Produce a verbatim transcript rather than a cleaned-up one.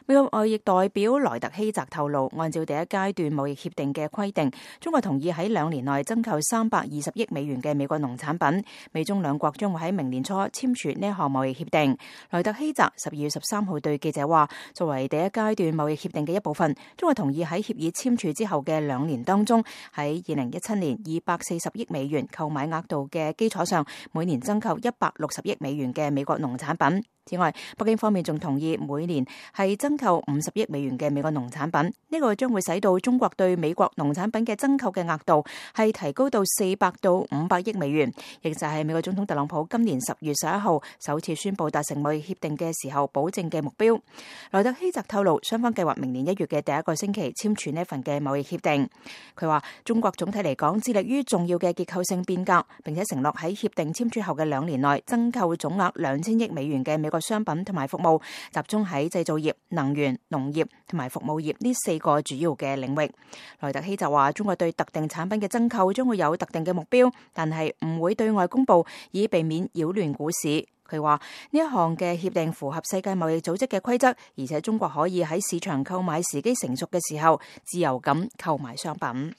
美國貿易代表萊特希澤透露，按照第一階段貿易協定嘅規定，中國同意喺兩年內增購三百二十億美元嘅美國農產品。美中兩國將會喺明年初簽署呢一項貿易協定。萊特希澤十二月十三號對記者話，作為第一階段貿易協定嘅一部分，中國同意喺協議簽署之後嘅兩年當中，喺二零一七年二百四十億美元購買額度嘅基礎上，每年增購一百六十億美元嘅美國農產品。此外，北京方面仲同意每年係增購五十億美元嘅美國農產品，呢個將會使到中國對美國農產品嘅增購嘅額度係提高到四百到五百億美元，亦就係美國總統特朗普今年十月十一號首次宣布達成貿易協定嘅時候保證嘅目標。萊特希澤透露，雙方計劃明年一月嘅第一個星期簽署呢份嘅貿易協定。佢話中國總體嚟講致力於重要嘅結構性變革，並且承諾喺協定簽署後嘅兩年內增購總額兩千億美元嘅美國商品同埋服務，集中喺製造業、能源、農業同埋服務業呢四個主要嘅領域。萊特希就話，中國對特定產品嘅增購將會有特定嘅目標，但係唔會對外公佈，以避免擾亂股市。佢話呢一項嘅協定符合世界貿易組織嘅規則，而且中國可以喺市場購買時機成熟嘅時候自由咁購買商品。